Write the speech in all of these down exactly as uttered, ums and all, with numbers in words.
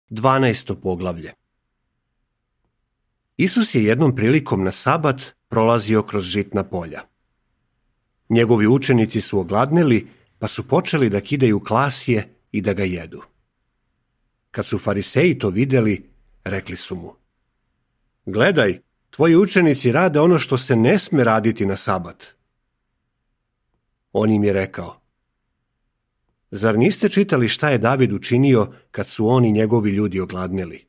Dvanaesto poglavlje. Isus je jednom prilikom na sabat prolazio kroz žitna polja. Njegovi učenici su ogladneli, pa su počeli da kidaju klasje i da ga jedu. Kad su fariseji to vidjeli, rekli su mu: Gledaj, tvoji učenici rade ono što se ne sme raditi na sabat. On im je rekao: Zar niste čitali šta je David učinio kad su on i njegovi ljudi ogladneli?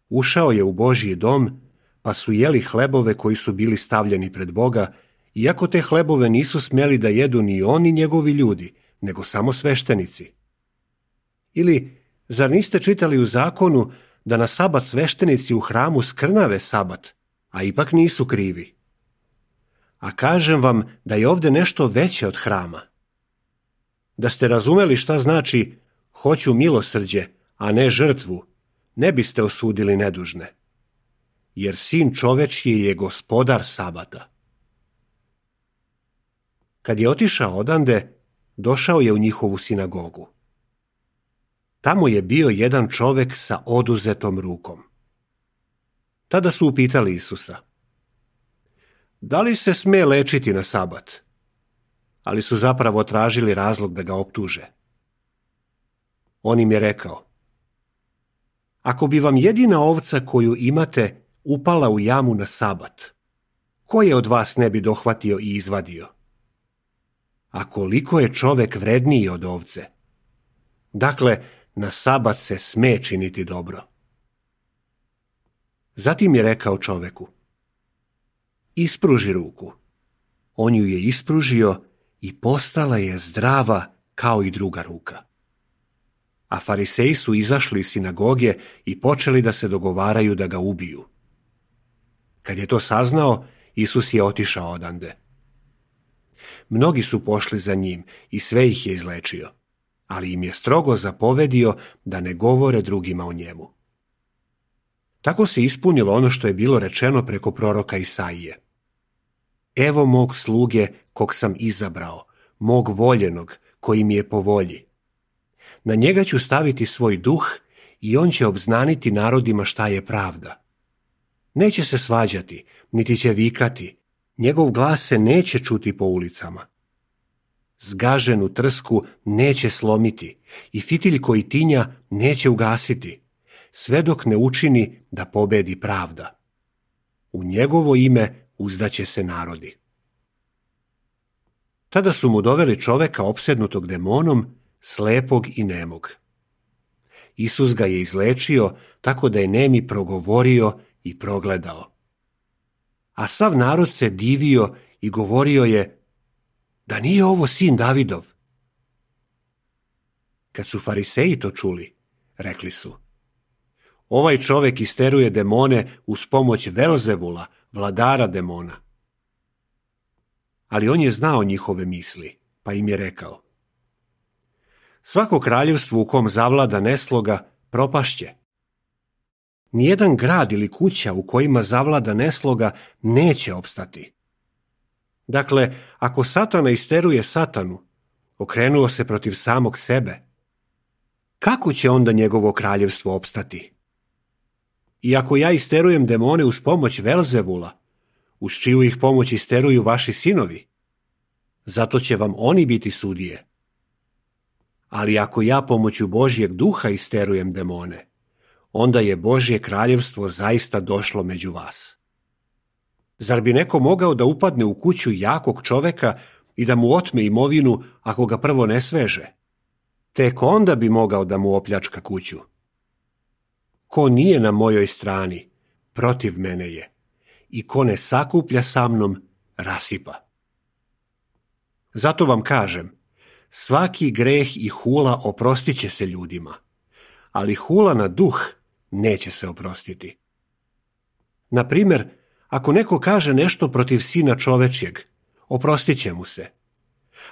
Ušao je u Božji dom, pa su jeli hlebove koji su bili stavljeni pred Boga, iako te hlebove nisu smjeli da jedu ni oni njegovi ljudi, nego samo sveštenici. Ili, zar niste čitali u zakonu da na sabat sveštenici u hramu skrnave sabat, a ipak nisu krivi? A kažem vam da je ovdje nešto veće od hrama. Da ste razumeli šta znači hoću milosrđe, a ne žrtvu, ne biste osudili nedužne. Jer sin čovečji je gospodar sabata. Kad je otišao odande, došao je u njihovu sinagogu. Tamo je bio jedan čovek sa oduzetom rukom. Tada su upitali Isusa: Da li se sme lečiti na sabat? Ali su zapravo tražili razlog da ga optuže. On im je rekao: Ako bi vam jedina ovca koju imate upala u jamu na sabat, ko je od vas ne bi dohvatio i izvadio? A koliko je čovek vredniji od ovce? Dakle, na sabat se sme činiti dobro. Zatim je rekao čoveku: Ispruži ruku. On ju je ispružio i postala je zdrava kao i druga ruka. A fariseji su izašli iz sinagoge i počeli da se dogovaraju da ga ubiju. Kad je to saznao, Isus je otišao odande. Mnogi su pošli za njim i sve ih je izlečio, ali im je strogo zapovedio da ne govore drugima o njemu. Tako se ispunilo ono što je bilo rečeno preko proroka Isaije: Evo mog sluge kog sam izabrao, mog voljenog koji mi je po volji. Na njega ću staviti svoj duh i on će obznaniti narodima šta je pravda. Neće se svađati, niti će vikati, njegov glas se neće čuti po ulicama. Zgaženu trsku neće slomiti i fitilj koji tinja neće ugasiti, sve dok ne učini da pobedi pravda. U njegovo ime uzdaće se narodi. Tada su mu doveli čoveka opsednutog demonom, slepog i nemog. Isus ga je izlečio tako da je nemi progovorio i progledao. A sav narod se divio i govorio je: Da nije ovo sin Davidov? Kad su fariseji to čuli, rekli su: Ovaj čovek isteruje demone uz pomoć Velzevula, vladara demona. Ali on je znao njihove misli, pa im je rekao: Svako kraljevstvo u kom zavlada nesloga propašće. Nijedan grad ili kuća u kojima zavlada nesloga neće opstati. Dakle, ako Satana isteruje Satanu, okrenuo se protiv samog sebe, kako će onda njegovo kraljevstvo opstati? I ako ja isterujem demone uz pomoć Velzevula, uz čiju ih pomoć isteruju vaši sinovi, zato će vam oni biti sudije. Ali ako ja pomoću Božjeg duha isterujem demone, onda je Božje kraljevstvo zaista došlo među vas. Zar bi neko mogao da upadne u kuću jakog čoveka i da mu otme imovinu ako ga prvo ne sveže? Tek onda bi mogao da mu opljačka kuću. Ko nije na mojoj strani, protiv mene je, i ko ne sakuplja sa mnom, rasipa. Zato vam kažem, svaki greh i hula oprostit će se ljudima, ali hula na duh neće se oprostiti. Na primjer, ako neko kaže nešto protiv sina čovečjeg, oprostit će mu se.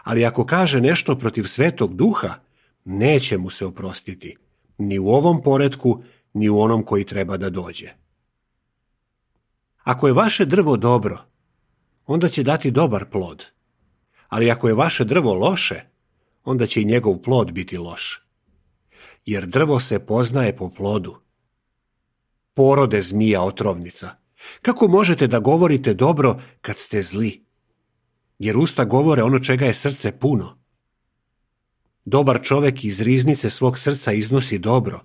Ali ako kaže nešto protiv svetog duha, neće mu se oprostiti, ni u ovom poretku, ni u onom koji treba da dođe. Ako je vaše drvo dobro, onda će dati dobar plod. Ali ako je vaše drvo loše, onda će i njegov plod biti loš. jer drvo se poznaje po plodu. Porode zmija otrovnica, kako možete da govorite dobro kad ste zli? Jer usta govore ono čega je srce puno. Dobar čovjek iz riznice svog srca iznosi dobro,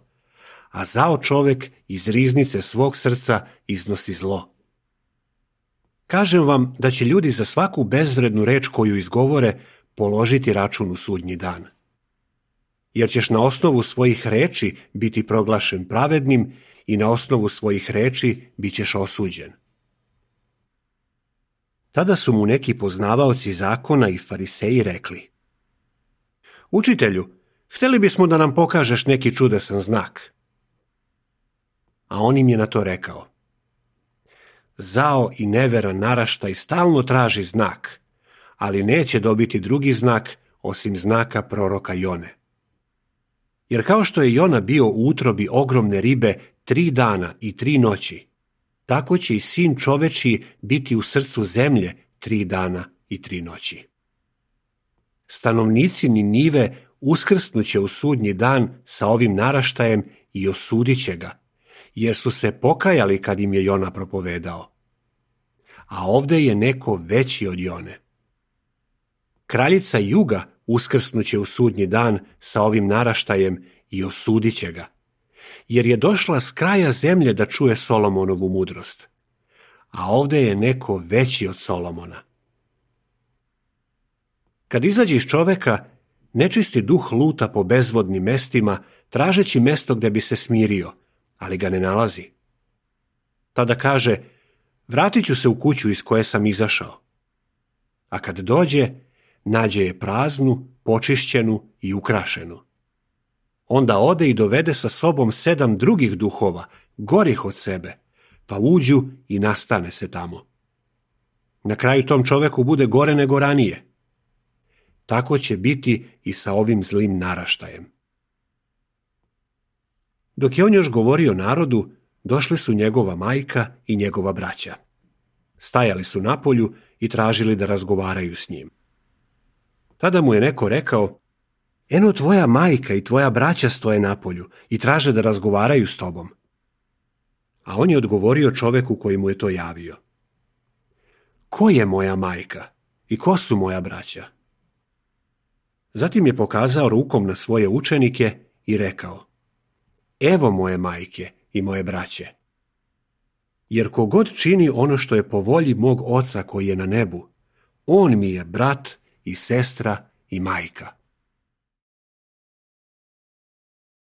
a zao čovjek iz riznice svog srca iznosi zlo. Kažem vam da će ljudi za svaku bezvrednu reč koju izgovore položiti račun u sudnji dan. Jer ćeš na osnovu svojih reči biti proglašen pravednim i na osnovu svojih reči bit ćeš osuđen. Tada su mu neki poznavaoci zakona i fariseji rekli: Učitelju, htjeli bismo da nam pokažeš neki čudesan znak. A on im je na to rekao: Zao i neveran naraštaj stalno traži znak, ali neće dobiti drugi znak osim znaka proroka Jone. Jer kao što je Jona bio u utrobi ogromne ribe tri dana i tri noći, tako će i sin čovečiji biti u srcu zemlje tri dana i tri noći. Stanovnici Ninive uskrsnuće u sudnji dan sa ovim naraštajem i osudit će ga, jer su se pokajali kad im je Jona propovedao. A ovdje je neko veći od Jone. Kraljica juga uskrsnuće u sudnji dan sa ovim naraštajem i osudit će ga, jer je došla s kraja zemlje da čuje Solomonovu mudrost. A ovdje je neko veći od Solomona. Kad izađe iz čoveka, nečisti duh luta po bezvodnim mestima, tražeći mesto gdje bi se smirio, ali ga ne nalazi. Tada kaže: Vratit ću se u kuću iz koje sam izašao. A kad dođe, nađe je praznu, počišćenu i ukrašenu. Onda ode i dovede sa sobom sedam drugih duhova, gorih od sebe, pa uđu i nastane se tamo. Na kraju tom čoveku bude gore nego ranije. Tako će biti i sa ovim zlim naraštajem. Dok je on još govorio narodu, došli su njegova majka i njegova braća. Stajali su napolju i tražili da razgovaraju s njim. Tada mu je neko rekao: Eno, tvoja majka i tvoja braća stoje napolju i traže da razgovaraju s tobom. A on je odgovorio čoveku koji mu je to javio: Ko je moja majka i ko su moja braća? Zatim je pokazao rukom na svoje učenike i rekao: Evo moje majke i moje braće. Jer kogod čini ono što je po volji mog oca koji je na nebu, on mi je brat i sestra i majka.